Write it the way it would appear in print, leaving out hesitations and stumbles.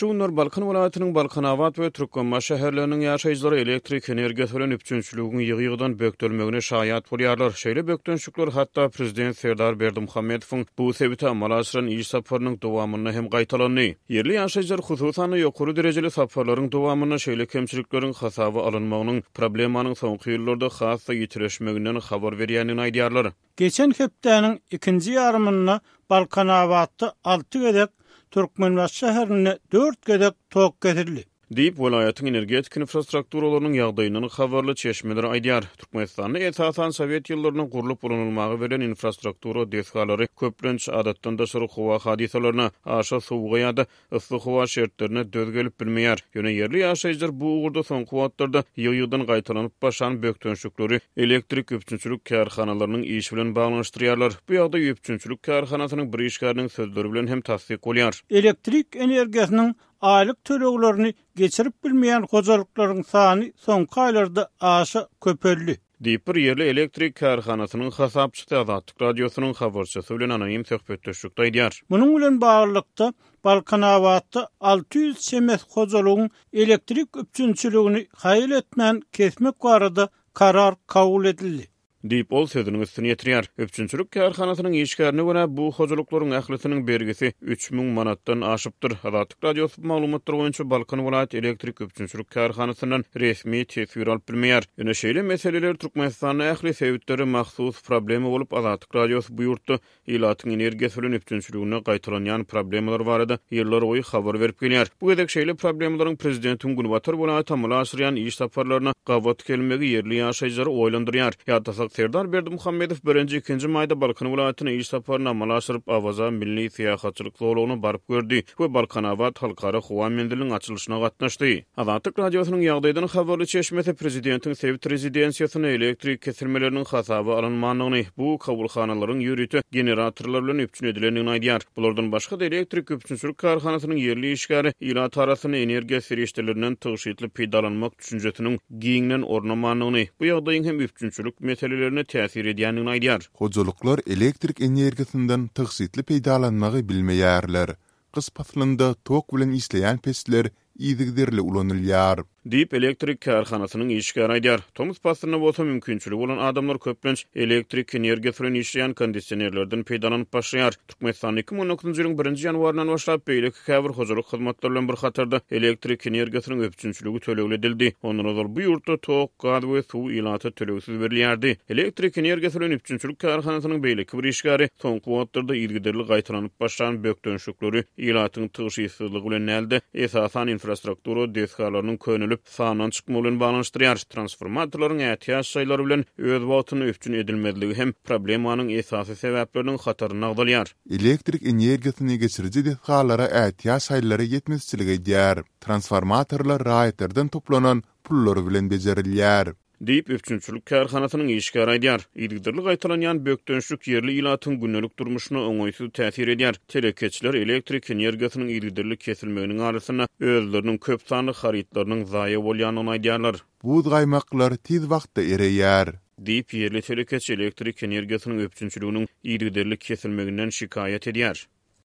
Şu günler Balkan welaýatynyň Balkanabat we Türkmenbaşy şäherleriniň ýaşaýjylary elektrik energiýasy bilen üpjünçiligiň ýygy-ýygydan bökdelmegine şaýat bolýarlar. Şeýle bökdençlikler hatda prezident Serdar Berdimuhamedowyň bu sebite amala aşyran iş saparynyň dowamynda hem gaýtalandy. Ýerli ýaşaýjylar, hususan-da, ýokary derejeli saparlaryň dowamynda şeýle kemçilikleriň hasaba alynmagynyň problemanyň soňky ýyllarda has-da ýitileşmeginden habar berýändigini aýdýarlar. Geçen hepdäniň ikinji ýarymynda Balkanabatda alty gezek, Türkmenbaşy şäherinde dört gezek tok kesildi. Diýip, welaýatyň energetika infrastrukturalarynyň ýagdaýyndan habarly çeşmeler aýdýar. Türkmenistanda esasan sowet ýyllarynda gurlup ulanylmaga berlen infrastruktura desgalary köplenç adatdan daşary howa hadysalaryna, aşa sowuga ýa-da yssy howa şertlerine döz gelip bilmeýär. Ýöne ýerli ýaşaýjylar bu ugurda soňky wagtlarda ýygy-ýygydan gaýtalanyp başlan bökdençlikleri elektrik üpjünçilik kärhanalarynyň işi bilen baglanyşdyrýarlar. Bu ýagdaý üpjünçilik kärhanasynyň bir işgäriniň sözleri bilen hem tassyk bolýar. Elektrik energiýasynyň aýlyk töleglerini geçirip bilmeýän hojalyklaryň sany soňky aýlarda aşa köpeldi. Diýip, bir ýerli elektrik kärhanasynyň hasapçysy Azatlyk Radiosynyň habarçysy bilen anonim söhbetdeşlikde aýdýar. Munuň bilen baglylykda, Balkanabatda 600 çemesi hojalygyň elektrik üpjünçiligini haýal etmän kesmek barada karar kabul edildi. Diýip, ol sözüniň üstüni ýetirýär. Üpjünçilik kärhanasynyň işgärine görä, bu hojalyklaryň ählisiniň bergisi 3000 manatdan aşypdyr. Azatlyk Radiosy bu maglumatlar boýunça Balkan welaýat elektrik üpjünçilik kärhanasyndan resmi teswir alyp bilmeýär. Ýöne şeýle meseleler Türkmenistanda ähli sebitlere mahsus problema bolup, Azatlyk Radiosy bu ýurtda Ilatyň energiýasy bilen üpjünçiliginde gaýtalanýan problemalar barada ýyllarboýy habar berip gelýär. Bu gezek şeýle problemalaryň prezidentiň günbatar welaýata amala aşyrýan iş saparlaryna gabat gelmegi ýerli ýaşaýjylary oýlandyrýar. Ýatlasak, Serdar Berdimuhamedow birinji, ikinji maýda Balkan welaýatyna iş saparyny amala aşyryp, Awaza milli syýahatçylyk zolagyna baryp gördi we Balkanabat halkara howa menziliniň açylyşyna gatnaşdy. Azatlyk Radiosynyň ýagdaýdan habarly çeşmesi prezidentiň sebit rezidensiýasynda elektrik kesilmeleriniň hasaba alynmandygyny, bu kabulhanalaryň ýörite generatorlar bilen üpjün edilendigini aýdýar. Bulardan başga-da, elektrik üpjünçilik kärhanasynyň ýerli işgäri ilat arasynda energiýa serişdelerinden tygşytly peýdalanmak düşünjesiniň giňden ornamandygyny, bu ýagdaýyň hem üpjünçilik meselelerine täsir edýändigini aýdýar. Hojalyklar elektrik energiýasyndan tygşytly peýdalanmagy bilmeýärler. Gyş paslynda tok bilen işleýän peçler yzygiderli ulanylýar. Diýip, elektrik kärhanasynyň işgäri aýdýar. Tomus paslynda bolsa mümkinçiligi bolan adamlar köplenç elektrik energiýasy bilen işleýän kondisionerlerden peýdalanyp başlaýar. Türkmenistanda 2019-njy ýylyň birinji ýanwaryndan başlap beýleki käbir hojalyk hyzmatlary bilen bir hatarda elektrik energiýasynyň üpjünçiligi tölegli edildi. Ondan ozal bu ýurtda tok, gaz we suw ilata tölegsiz berilýärdi. Elektrik energiýasy bilen üpjünçilik kärhanasynyň beýleki bir işgäri soňky wagtlarda yzygiderli gaýtalanyp başlan bökdençlikleri ilatyň tygşytsyzlygy bilen däl-de, esasan infrastruktura desgalarynyň könelip, sandan çykmagy bilen baglanyşdyrýar. Transformatorlaryň ätiýaç şaýlary bilen öz wagtynda üpjün edilmezligi hem problemanyň esasy sebäpleriniň hatarynda agzalýar. Elektrik energiýasyny geçiriji desgalara ätiýaç şaýlary ýetmezçilik edýär. Transformatorlar raýatlardan toplanan pullar bilen bejerilýär. Diýip, üpjünçilik kärhanasynyň işgäri aýdýar. Yzygiderli gaýtalanýan bökdençlik ýerli ilatyň gündelik durmuşyna oňaýsyz täsir edýär. Telekeçiler elektrik energiýasynyň yzygiderli kesilmeginiň arasynda özleriniň köp sanly harytlarynyň zaýa bolýandygyny aýdýarlar. Buz gaýmaklar tiz wagtda ereýär. Diýip, ýerli telekeçi elektrik energiýasynyň üpjünçiliginiň yzygiderli kesilmeginden şikaýat edýär.